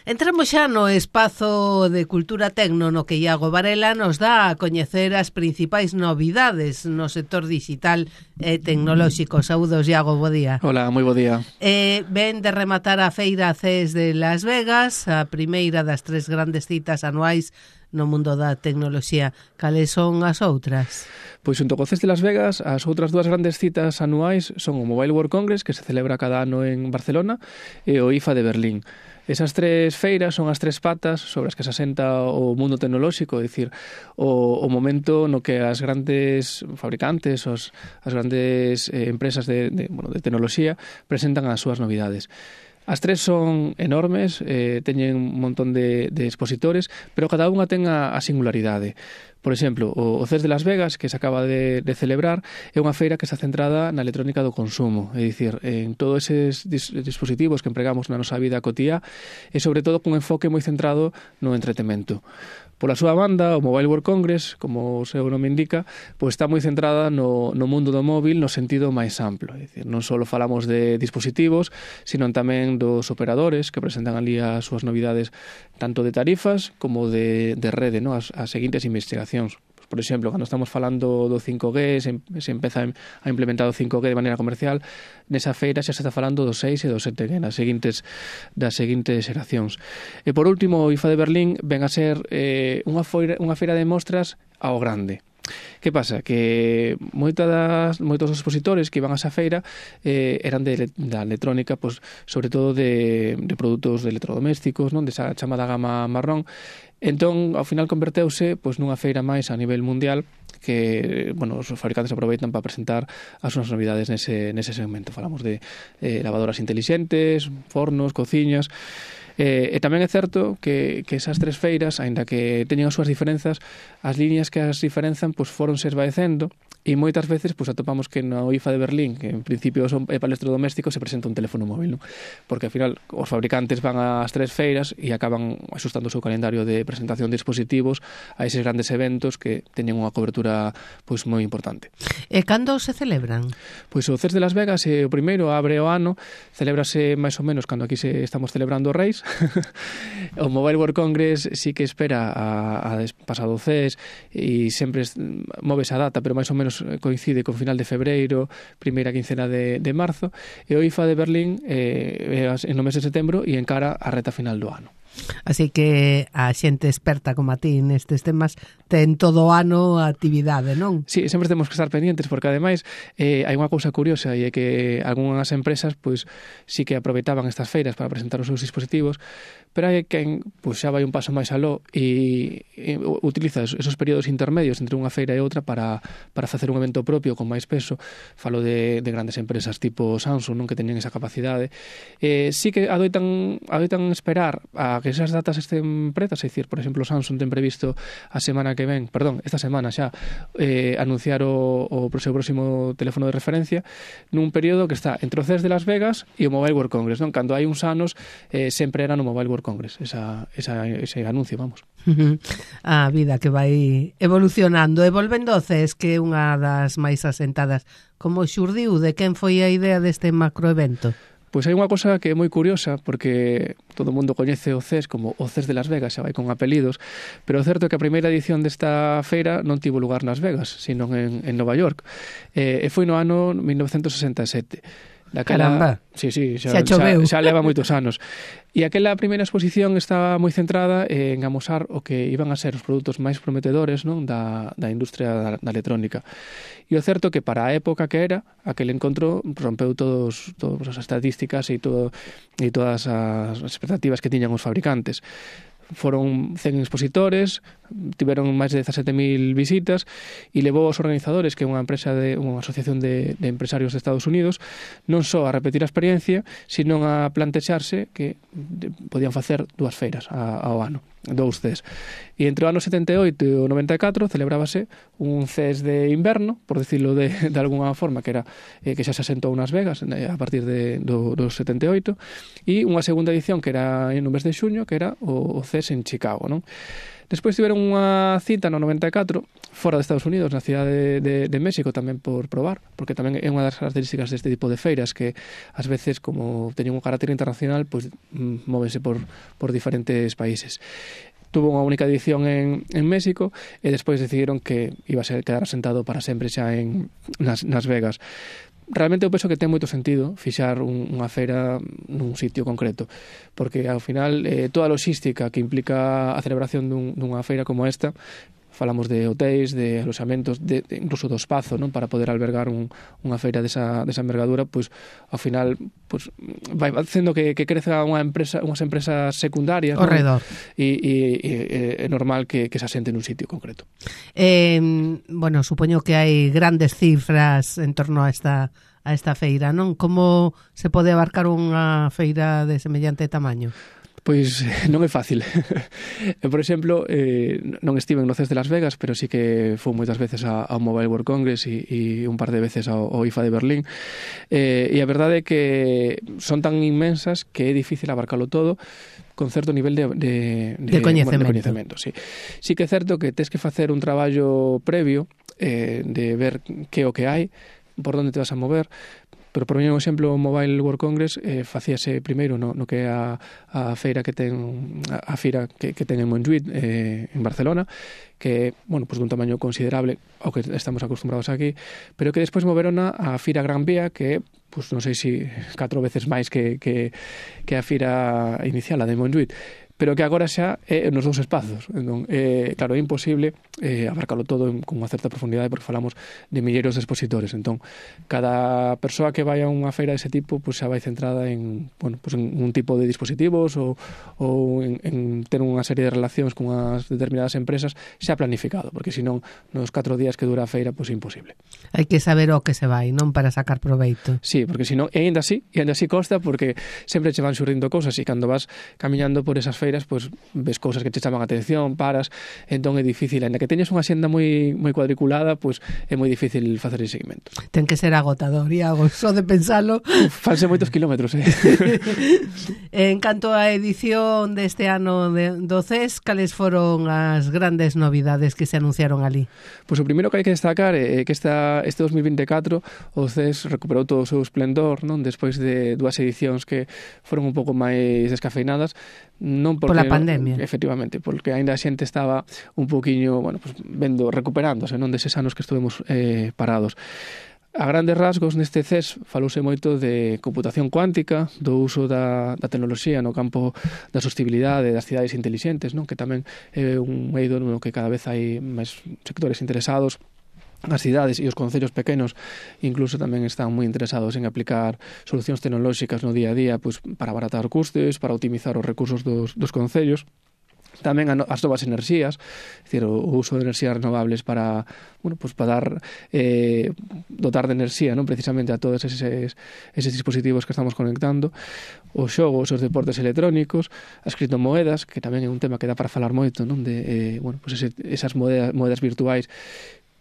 Entramos xa no espazo de Cultura Tecno no que Iago Varela nos dá a coñecer as principais novidades no sector digital e tecnolóxico. Saúdos, Iago, bo día. Hola, moi bo día. Ven de rematar a feira CES de Las Vegas, a primeira das 3 grandes citas anuais no mundo da tecnoloxía. Cales son as outras? Pois xunto co CES de Las Vegas, as outras 2 grandes citas anuais son o Mobile World Congress, que se celebra cada ano en Barcelona, e o IFA de Berlín. Esas 3 feiras son as 3 patas sobre as que se asenta o mundo tecnolóxico, é dicir, o momento no que as grandes fabricantes, as grandes empresas de tecnoloxía presentan as súas novidades. As 3 son enormes, teñen un montón de expositores, pero cada unha ten a singularidade. Por exemplo, o CES de Las Vegas, que se acaba de celebrar, é unha feira que está centrada na electrónica do consumo, é dicir, en todos eses dispositivos que empregamos na nosa vida cotiá e, sobre todo, cun enfoque moi centrado no entretemento. Pola súa banda, o Mobile World Congress, como o seu nome indica, pois está moi centrada no mundo do móvil no sentido máis amplo. É dicir, non só falamos de dispositivos, sino tamén dos operadores que presentan ali as súas novidades tanto de tarifas como de rede, ¿no? As seguintes investigacións. Por exemplo, cando estamos falando do 5G, se empeza a implementar o 5G de maneira comercial, nesa feira xa se está falando do 6 e do 7G, das seguintes xeracións. E por último, o IFA de Berlín ven a ser unha feira de mostras ao grande. Que pasa? Que moitos dos expositores que iban a esa feira eran da electrónica, pues, sobre todo de produtos de electrodomésticos, non, desa chamada gama marrón. Entón, ao final converteuse pois nunha feira máis a nivel mundial que, bueno, os fabricantes aproveitan para presentar as súas novidades nese segmento. Falamos de lavadoras intelixentes, fornos, cociñas. E tamén é certo que esas 3 feiras, aínda que teñen as súas diferenzas, as liñas que as diferenzan pois foronse esvaecendo e moitas veces pois atopamos que no IFA de Berlín, que en principio é para electrodomésticos, se presenta un teléfono móvil, non? Porque ao final os fabricantes van ás 3 feiras e acaban axustando o seu calendario de presentación de dispositivos a eses grandes eventos que teñen unha cobertura pois moi importante. E cando se celebran? Pois o CES de Las Vegas é o primeiro, abre o ano, celébrase máis ou menos cando aquí estamos celebrando os Reis. O Mobile World Congress sí que espera a pasado CES e sempre móvese a data, pero máis ou menos coincide con final de febreiro, primeira quincena de marzo, e o IFA de Berlín no mes de setembro e encara a reta final do ano. Así que a xente experta como a ti nestes temas ten todo o ano a actividade, non? Sí, sempre temos que estar pendientes porque ademais hai unha cousa curiosa e é que algunhas empresas pois sí que aproveitaban estas feiras para presentar os seus dispositivos, pero hai quen pois xa vai un paso máis aló e utiliza esos períodos intermedios entre unha feira e outra para facer un evento propio con máis peso. Falo de grandes empresas tipo Samsung, non, que teñen esa capacidade. Sí que adoitan esperar a que esas datas estén pretas, é dicir, por exemplo, Samsung ten previsto esta semana xa anunciar o seu próximo teléfono de referencia nun período que está entre o CES de Las Vegas e o Mobile World Congress, non? Cando hai uns anos sempre era no Mobile World Congress ese anuncio, vamos. A vida que vai evolucionando e volvendo ao CES, que é unha das máis asentadas, como xurdiu, de quen foi a idea deste macroevento? Pois hai unha cosa que é moi curiosa, porque todo o mundo coñece o CES como o CES de Las Vegas, xa vai con apelidos, pero o certo é que a primeira edición desta feira non tivo lugar nas Vegas, sino en Nova York, e foi no ano 1967. Caramba, sí, xa leva moitos anos. E aquela primeira exposición estaba moi centrada en amosar o que iban a ser os produtos máis prometedores, non, da industria da electrónica. E o certo que para a época que era, aquel encontro rompeu todas as estadísticas e todas as expectativas que tiñan os fabricantes. Foron 100 expositores, tiveron máis de 17.000 visitas e levou aos organizadores, que é unha asociación de empresarios de Estados Unidos, non só a repetir a experiencia, sino a plantexarse que podían facer 2 feiras ao ano, 2 CES. E entre o ano 78 e o 94 celebrábase un CES de inverno, por decirlo de alguna forma, que era que xa se asentou nas Vegas a partir do 78, e unha segunda edición que era no mes de xuño, que era o CES CES en Chicago, non? Despois tiveron unha cita no 94 fora de Estados Unidos, na cidade de México, tamén por probar, porque tamén é unha das características deste tipo de feiras que ás veces, como teñen un carácter internacional, pues, móvense por diferentes países. Tuvo unha única edición en México e despois decidiron que iba a quedar asentado para sempre xa en Las Vegas. Realmente eu penso que ten moito sentido fixar unha feira nun sitio concreto, porque ao final toda a logística que implica a celebración dunha feira como esta, falamos de hotéis, de aloxamentos, incluso do espazo, non, para poder albergar unha feira desa envergadura, pois ao final pois vai facendo que creza unhas empresas secundarias, ao redor. E é normal que se asente nun sitio concreto. Bueno, supoño que hai grandes cifras en torno a esta feira, non? Como se pode abarcar unha feira de semellante tamaño? Pois non é fácil. Por exemplo, non estiven no CES de Las Vegas, pero sí que fui moitas veces ao Mobile World Congress e un par de veces ao IFA de Berlín. E a verdade é que son tan inmensas que é difícil abarcalo todo con certo nivel de coñecemento. Sí. Sí que é certo que tes que facer un traballo previo de ver que o que hai, por onde te vas a mover. Pero, por un exemplo, o Mobile World Congress facíase primeiro no que é a feira que ten en Montjuïc, en Barcelona, que, bueno, pues dun tamaño considerable ao que estamos acostumbrados aquí, pero que despois moverona a Fira Gran Vía, que é, pues, non sei se 4 veces máis que a fira inicial, a de Montjuïc, pero que agora xa é nos dous espazos. Entón, claro, é imposible abarcalo todo con unha certa profundidade, porque falamos de milleiros de expositores. Entón, cada persoa que vai a unha feira dese tipo, pues, xa vai centrada en, bueno, pues, en un tipo de dispositivos ou en ter unha serie de relacións con as determinadas empresas xa planificado, porque senón nos 4 días que dura a feira, pues, é imposible. Hai que saber o que se vai, non, para sacar proveito. Sí, porque senón, e ainda así costa, porque sempre che van xurdindo cousas, e cando vas camiñando por esas feiras, pues, ves cousas que te chaman a atención, paras, entón é difícil, ainda que teñes unha xenda moi cuadriculada, pues, é moi difícil facer ese seguimento. Ten que ser agotador, Iago, só de pensalo. Fanse moitos kilómetros, En canto á edición deste ano do CES, cales foron as grandes novidades que se anunciaron ali? Pois o primeiro que hai que destacar é que este 2024 o CES recuperou todo o seu esplendor, non, despois de 2 edicións que foron un pouco máis descafeinadas, non porque, pola pandemia. Efectivamente, porque ainda a xente estaba un poquinho, bueno, pues, recuperándose, non, deses anos que estuvemos parados. A grandes rasgos, neste CES falouse moito de computación cuántica, do uso da tecnoloxía no campo da sostenibilidade das cidades intelixentes, non, que tamén é un eido no que cada vez hai máis sectores interesados. As cidades e os concellos pequenos incluso tamén están moi interesados en aplicar solucións tecnolóxicas no día a día, pues, para abaratar custes, para optimizar os recursos dos concellos. Tamén as novas enerxías, é dicir, o uso de enerxías renovables para, bueno, pues, para dotar de enerxía, non, precisamente a todos eses dispositivos que estamos conectando, os xogos, os deportes electrónicos, as criptomoedas, que tamén é un tema que dá para falar moito, non, de bueno, pues esas moedas virtuais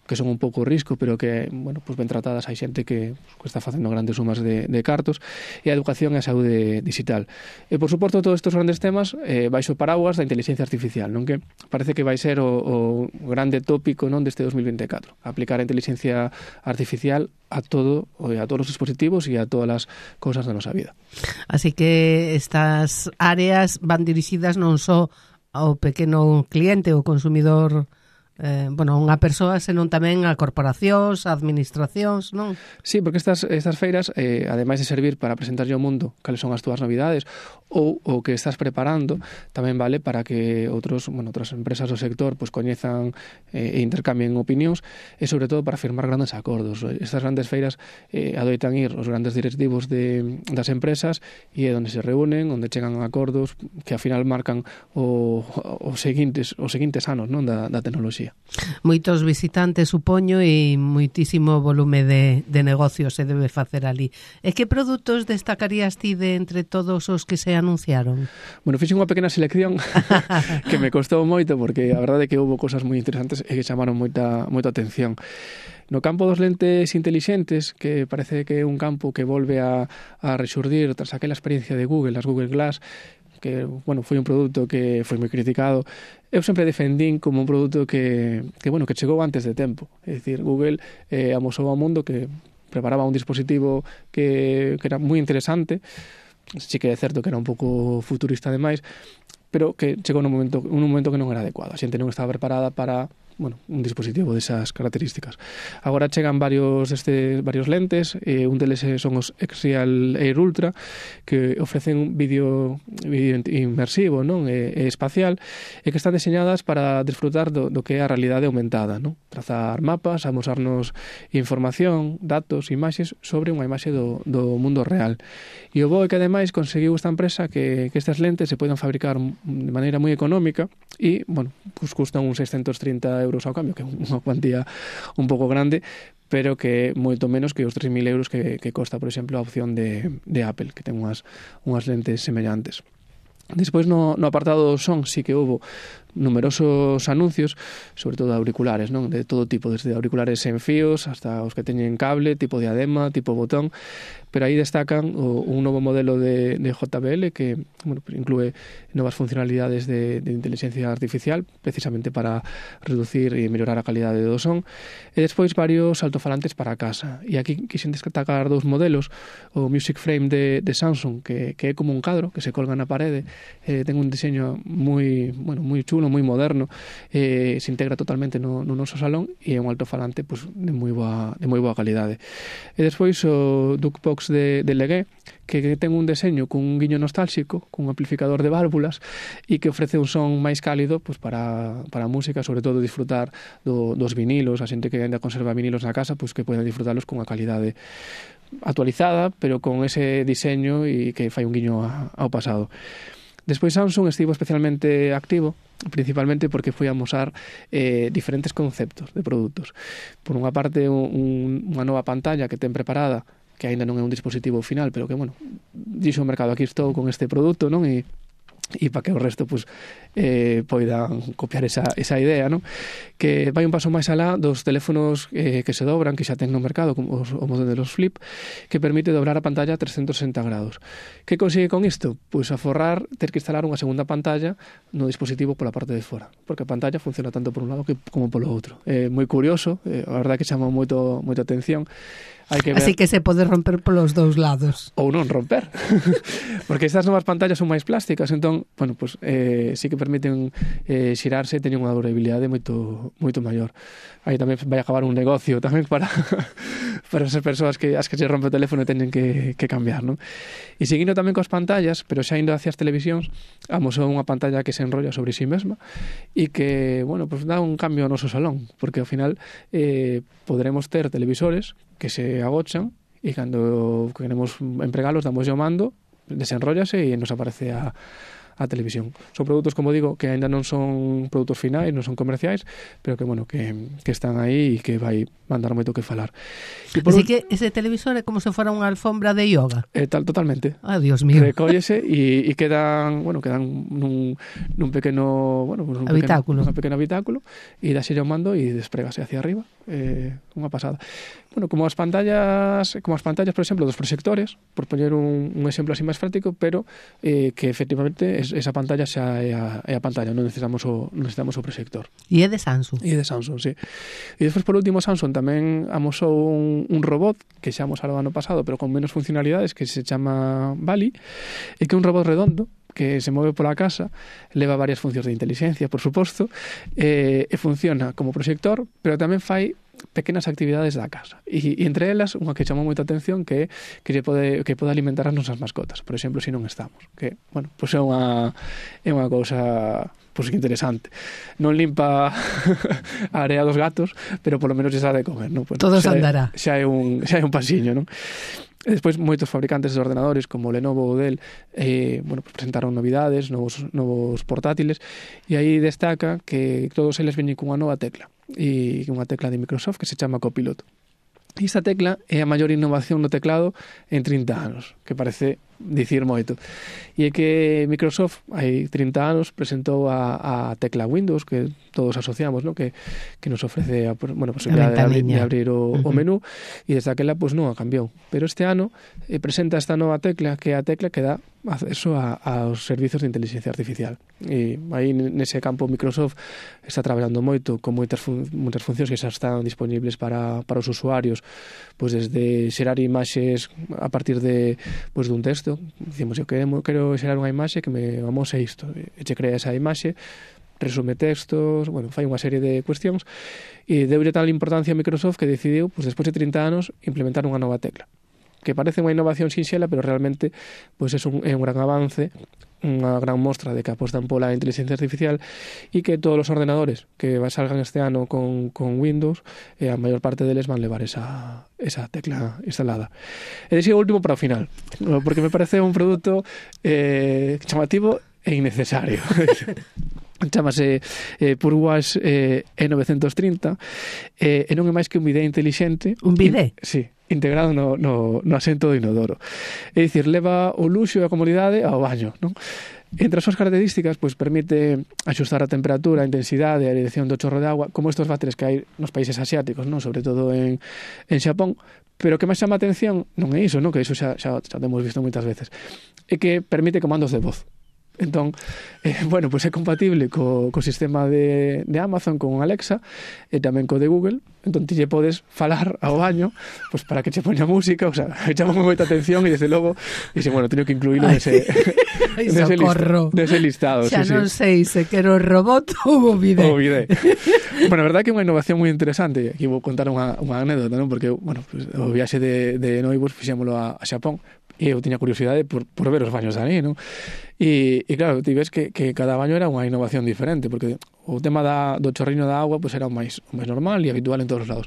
que son un pouco risco, pero que, bueno, pues ben tratadas, hai xente que está facendo grandes sumas de cartos, e a educación e a saúde digital. E, por suposto, todos estes grandes temas baixo paraguas da inteligencia artificial, non, que parece que vai ser o grande tópico, non, deste 2024, aplicar a inteligencia artificial a todos os dispositivos e a todas as cousas da nosa vida. Así que estas áreas van dirixidas non só ao pequeno cliente, o consumidor, unha persoa, senón tamén a corporacións, a administracións, non? Sí, porque estas feiras, ademais de servir para presentarlle ao mundo cales son as túas novidades ou o que estás preparando, tamén vale para que outras empresas do sector pues, coñezan e intercambien opinións, e sobre todo para firmar grandes acordos. Estas grandes feiras adoitan ir os grandes directivos das empresas e é onde se reúnen, onde chegan a acordos que ao final marcan os seguintes anos, non, da tecnoloxía. Moitos visitantes, supoño, e moitísimo volume de negocios se debe facer ali. E que produtos destacarías ti de entre todos os que se anunciaron? Bueno, fixen unha pequena selección que me costou moito, porque a verdade é que houve cosas moi interesantes e que chamaron moita atención. No campo dos lentes intelixentes, que parece que é un campo que volve a rexurdir tras aquela experiencia de Google, as Google Glass, que, bueno, foi un produto que foi moi criticado, eu sempre defendín como un produto que chegou antes de tempo. É dicir, Google amosou ao mundo que preparaba un dispositivo que era moi interesante, sí que é certo que era un pouco futurista demais, pero que chegou nun momento que non era adecuado. A xente non estaba preparada para un dispositivo desas características. Agora chegan varios lentes, un deles son os X-Real Air Ultra, que ofrecen un vídeo inmersivo, non? E espacial, e que están diseñadas para disfrutar do que é a realidade aumentada, non? Trazar mapas, amosarnos información, datos, imaxes sobre unha imaxe do mundo real. E o bo é que ademais conseguiu esta empresa que estas lentes se poden fabricar de maneira moi económica e, pues custan uns 630 euros ao cambio, que é unha cuantía un pouco grande, pero que é moito menos que os 3.000 euros que costa, por exemplo, a opción de Apple, que ten unhas lentes semellantes. Despois no apartado do son sí que houve numerosos anuncios, sobre todo auriculares, non? De todo tipo, desde auriculares sen fíos hasta os que teñen cable, tipo diadema, tipo botón, pero aí destacan un novo modelo de JBL que inclúe novas funcionalidades de inteligencia artificial, precisamente para reducir e mellorar a calidade do son, e despois varios altofalantes para casa. E aquí quixen destacar dous modelos, o Music Frame de Samsung, que é como un cadro que se colga na parede, ten un diseño moi chulo, moi moderno, se integra totalmente no noso salón e é un altofalante de moi boa calidade. E despois o Duckbox de Legué, que ten un deseño con un guiño nostálxico, cun amplificador de válvulas e que ofrece un son máis cálido para a música, sobre todo disfrutar dos vinilos, a xente que ainda conserva vinilos na casa, que poden disfrutarlos con a calidade actualizada, pero con ese diseño e que fai un guiño ao pasado. Despois Samsung estivo especialmente activo, principalmente porque foi a amosar diferentes conceptos de produtos. Por unha parte, unha nova pantalla que ten preparada, que aínda non é un dispositivo final, pero que, dixo o mercado, aquí estou con este produto, non? E para que o resto poidan copiar esa idea, non? Que vai un paso máis alá dos teléfonos que se dobran, que xa ten no mercado, como o modelo de los Flip, que permite dobrar a pantalla a 360 grados. Que consigue con isto? Pois aforrar ter que instalar unha segunda pantalla no dispositivo pola parte de fora, porque a pantalla funciona tanto por un lado como polo outro. É moi curioso, a verdade que chama moita atención. Así que se pode romper polos dous lados. Ou non romper. Porque estas novas pantallas son máis plásticas, entón, sí que permiten xirarse e teñen unha durabilidade moito maior. Aí tamén vai acabar un negocio tamén para esas persoas as que se rompe o teléfono e teñen que cambiar, non? E seguindo tamén coas pantallas, pero xa indo hacia as televisións, amosou unha pantalla que se enrolla sobre si mesma e que, dá un cambio ao noso salón, porque ao final poderemos ter televisores que se agochan e cando queremos empregalos damos o mando, desenróllase e nos aparece a televisión. Son produtos, como digo, que ainda non son produtos finais, non son comerciais, pero que están aí e que vai mandar moito que falar. Así que ese televisor é como se fora unha alfombra de yoga. Totalmente. Ah, Dios mío. Recóllese e quedan nun pequeno habitáculo. Un pequeno habitáculo e dáxelle o mando e desprégase hacia arriba. Unha pasada. Como as pantallas, por exemplo, dos proxectores, por poñer un exemplo así máis práctico, pero que efectivamente esa pantalla xa é a pantalla, non necesitamos o proxector. E é de Samsung. E é de Samsung, sí. E despois, por último, Samsung tamén amosou un robot que xa amosaron o ano pasado, pero con menos funcionalidades, que se chama Bali, e que é un robot redondo que se move pola casa, leva varias funcións de inteligencia, por suposto, e funciona como proxector, pero tamén fai pequenas actividades da casa. E entre elas, unha que chamou moita atención que pode alimentar as nosas mascotas, por exemplo, se non estamos. Que, é unha cousa interesante. Non limpa a area dos gatos, pero polo menos xa de comer, non? Todos andará. Xa é un pasiño, non? E despois moitos fabricantes de ordenadores como Lenovo ou Dell presentaron novidades, novos portátiles, e aí destaca que todos eles veñen cunha nova tecla, e unha tecla de Microsoft que se chama Copilot. E esta tecla é a maior innovación no teclado en 30 anos, que parece dicir moito. E é que Microsoft hai 30 anos presentou a tecla Windows, que todos asociamos, ¿no? que nos ofrece a posibilidade de abrir o menú, e desde aquela pues, non a cambiou. Pero este ano presenta esta nova tecla, que é a tecla que dá acceso aos servizos de inteligencia artificial. E aí nese campo Microsoft está traballando moito con moitas funcións que xa están disponibles para os usuarios, pois desde xerar imaxes a partir de dun texto. Dicimos, eu quero xerar unha imaxe que me amose isto, e che crea esa imaxe, resume textos, fai unha serie de cuestións, e deulle tal importancia a Microsoft que decidiu, despois de 30 anos, implementar unha nova tecla, que parece unha innovación sinxela, pero realmente é un gran avance, unha gran mostra de que apostan pola inteligencia artificial, e que todos os ordenadores que salgan este ano con Windows, a maior parte deles van levar esa tecla instalada. E deixei o último para o final, porque me parece un produto chamativo e innecesario. Chámase Purwash E930, e non é máis que un bidé intelixente. Un bidé? Sí, integrado no asento do inodoro. É dicir, leva o luxo e a comodidade ao baño, non? Entre as súas características, permite axustar a temperatura, a intensidade e a dirección do chorro de agua, como estos váteres que hai nos países asiáticos, non? Sobre todo en Xapón. Pero o que máis chama a atención non é iso, non? Que iso xa temos visto moitas veces. É que permite comandos de voz. Entón, é compatible co sistema de Amazon, con Alexa, e tamén co de Google. Entón, ti lle podes falar ao baño para que che poña música, chama moita atención, e desde logo, teño que incluílo nese listado. Xa non sei se quero o robot ou o bidé. O bidé. A verdade é que é unha innovación moi interesante. Aquí vou contar unha anécdota, non? Porque, o viaxe de noivos fixémolo a Xapón, e eu tiña curiosidade por ver os baños ali, non? E claro, ti ves que cada baño era unha innovación diferente, porque o tema do chorriño da agua era o máis normal e habitual en todos os lados.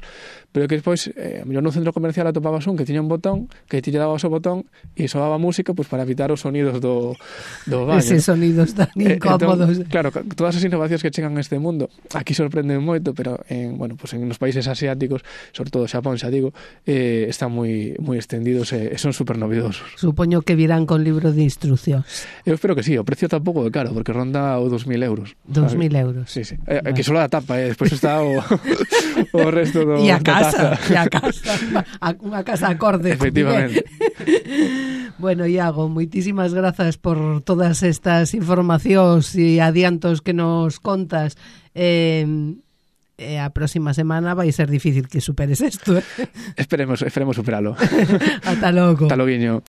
Pero que despois, a mellor no centro comercial atopabas un que tiña un botón, que ti lle dabas o botón e soaba música para evitar os sonidos do baño. Eses sonidos tan incómodos. Entón, claro, todas as innovacións que chegan a este mundo aquí sorprenden moito, pero en nos países asiáticos, sobre todo Xapón, xa digo, están moi extendidos e son super novedosos. Supoño que virán con libro de instruccións. Eu espero que sí, o precio tampouco é caro, porque ronda o 2.000 euros. 2.000 euros. Sí. Vale. Que só a tapa, despois está o resto do... E a casa, unha casa acorde. Efectivamente. Bueno, Iago, moitísimas grazas por todas estas informacións e adiantos que nos contas. A próxima semana vai ser difícil que superes isto. Esperemos superalo. Ata logo. Ata loguiño.